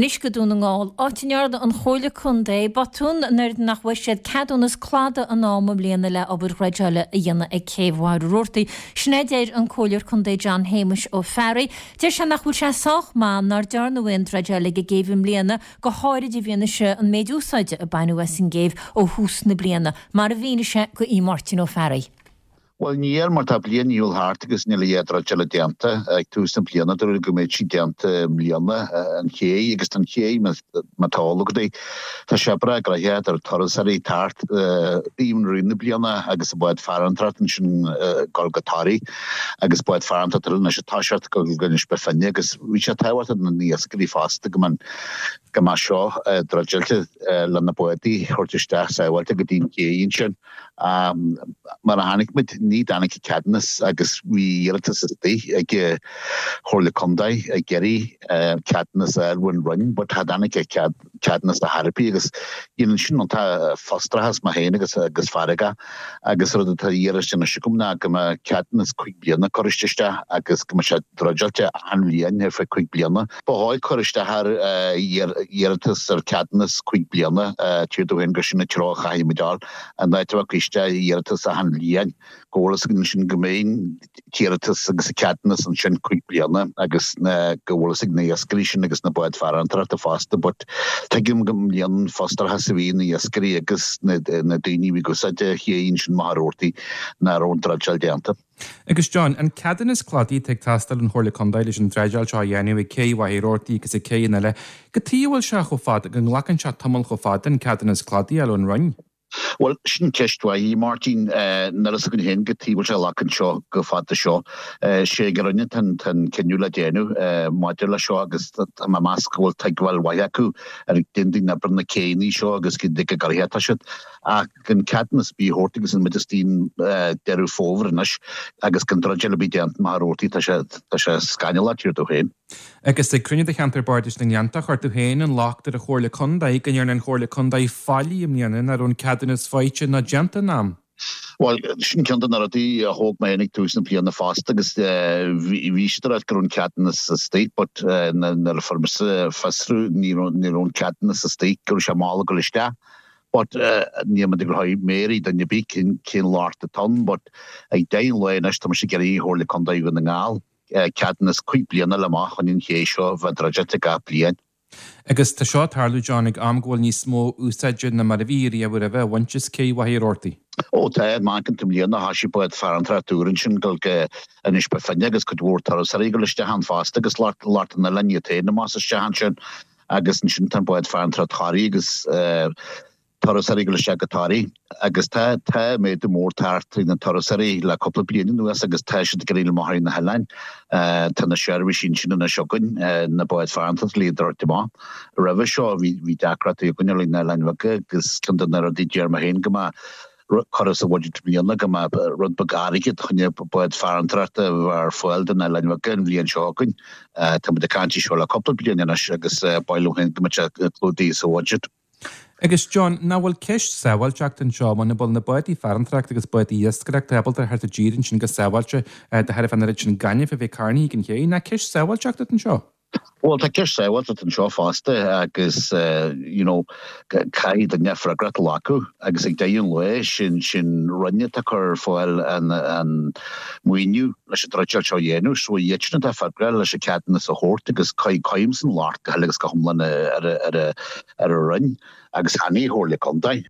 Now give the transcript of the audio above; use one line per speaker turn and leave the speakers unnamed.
Anois go Dún na nGall, áit a ndearna an Chomhairle Contae botún nuair nach bhfuair siad ceadúnas cladaigh in am i mbliana le obair dhreideála a dhéanamh ag Céibh Mhachaire Rabhartaigh. Sin é a deir an Comhairleoir Contae John Shéamuis Ó Fearraigh. Deir sé nach bhfuil sé sách maith nár dearnadh aon dreideáil ag an gcéibh i mbliana, go háirid i bhfianaise an méid úsáide a baineadh as an gcéibh ó thús na bliana, mar a mhínigh sé go Aodh Máirtín Ó Fearraigh.
Bhuel, níl, mar tá bliain ar shiúl thart agus níl a dhath druideála déanta. Ag tús na bliana, dúradh go mbeadh sí déanta i mbliana, an ché, agus tá an ché, má tá eol agat é, tá sé breá gnoitheach do turasóirí teacht even i rith na bliana agus an bád farantóireacht ansin ag dul go Toraigh agus bád farantóireacht eile anois ag toiseacht ag dul go Inis Bó Finne agus bhí sé tábhachtach do na iascairí fosta go mbeadh go mbeadh seo druideáilte le na bádaí a thabhairt isteach sábháilte go dtí an ché ansin. Mar a chonaic muid, ní dtáinig an ceadúnas agus bhí iarratas istigh ag an Chomhairle Contae ag iarraidh ceadúnas a fháil ón Roinn but cha dtáinig an ceadúnas ar chor ar bith agus dhéanann sin iontach frustrachas mé féin agus agus feargach agus rud atá iarraidh anois agam ná go mbeadh ceadúnas cuig bliana curtha isteach agus go mbeadh sé druideáilte achan bhliain ar feadh cuig bliana. Ba dhóigh cur isteach ar iarratas ar ceadúnas cuig bliana, tír dó féin gur sin an treo a chaithfidh muid dul, in áit a bheith ag cur isteach iarratas achan bhliain. Go bhfuil fhios againn ansin go mbeidh an t-iarratas agus an ceadúnas ansin cuig bliana agus go bhfuil fhios ag na iascairí sin agus na báid farantóireachta fosta but tuigim go mbliain an frustrachas a bhí na iascairí agus na daoine a bhí ag úsáid an ché ansin Machaire Rabhartaigh nach raibh an druideáil déanta.
Agus John, an ceadúnas cladaigh atá ag teastáil ón Chomhairle Contae leis an dreideáil seo a dhéanamh ag cé Mhachaire Rabhartaigh agus ag céanna eile, cad chuige a bhfuil sé chomh fada, go nglacann sé tamall chomh fada an ceadúnas cladaigh a fháil ón Roinn?
Bhuel, sin ceist mhaith, a Mháirtín. Níl fhios againn féin cad chuige a bhfuil sé ag glacadh seo chomh fada seo. Sé ag an Roinn atá an cinneadh le déanamh maidir leis seo agus tá mé ag meas go bhfuil tuigbheáil mhaith acu ar cén daoine oibre na céanna seo agus cén dóigh go gcuirfidh atá siad. Ach gan ceadúnas ar bith a thabhairt agus muid istigh i nDeireadh Fómhair anois agus gan druideáil ar bith déanta Machaire Rabhartaigh, tá sé, tá sé scannalach, tír dó féin.
Agus ag cruinniú de Cheantar Bardais na nGleanntach, chuir tú féin an locht ar an Chomhairle Contae go ndearna an Chomhairle Contae faillí i mbliana nach raibh an ceadúnas faighte ná déanta in am.
Bhuel, sin ceann de na rudaí a thóg mé féin ag tús na bliana fosta agus bhí siad ag ráit go raibh an ceadúnas istigh but nuair a fuair mise fiosrú ní raibh an ceadúnas istigh, go raibh sé mall ag dul isteach. But níl muid ag rá méaraí duine ar bith cén locht atá ann but ag deireadh an lae anois tá mise ag iarraidh ar Chomhairle Contae Dhún na nGall ceadúnas cuig bliana le amach chun an ché seo bheith druideáilte gach bliain.
Agus tá seo ag tarlú, John, ag am go bhfuil níos mó úsáide ná mar a bhí riamh roimhe á bhaint as cé Mhachaire Rabhartaigh.
Ó tá, má amharcann tú i mbliana thoisigh bád farantóireachta úr ansin dul go Inis Bó Finne agus cuid mhór turasóirí ag dul isteach ann fosta agus lucht an oileáin iad féin amach is isteach ansin. Agus ansin tá an bád farantóireachta Thoraí agus turasóirí ag dul isteach go Toraigh agus tá tá méadú mór tagtha ar na turasóirí le cúpla bliain anuas agus tá siad ag iarraidh amach ar na hoileáin. Tá na seirbhísí ansin anois againn, na báid farantóireachta le iad a thabhairt amach. Roimhe seo bhí bhí deacrachtaí againn ar na hoileáin bheaga agus ceann de na rudaí a deir mé féin go mbeadh curtha sa bhuiséad i mbliana go mbeadh rud beag airgid chun bád farantóireachta a bheith ar fáil do na oileáin bheaga an bhliain seo chugainn. Tá muid ag caint faoi seo le cúpla bliain anois agus ba mhaith liom féin go mbeadh sé clúdaithe sa bhuiséad.
Agus John, nach bhfuil ceist sábháilteachta anseo, muna bhfuil na bádaí farantóireachta agus bádaí iascaireachta ábalta a theacht i dtír ansin go sábháilte de thairbhe an oiread sin gainimh a bheith carnaithe ag an ché, nach ceist sábháilteachta atá anseo?
Bhuel, tá ceist sábháilteachta anseo fosta agus you know caithfidh duine freagracht a ghlacadh agus ag deireadh an lae sin sin Roinn atá ag cur ar fáil an an maoiniú leis an druideáil seo a dhéanamh so iad sin atá freagrach leis an ceadúnas a thabhairt agus cuirimse an locht go huile agus go hiomlán ar ar ar an Roinn agus chan í an Chomhairle Contae.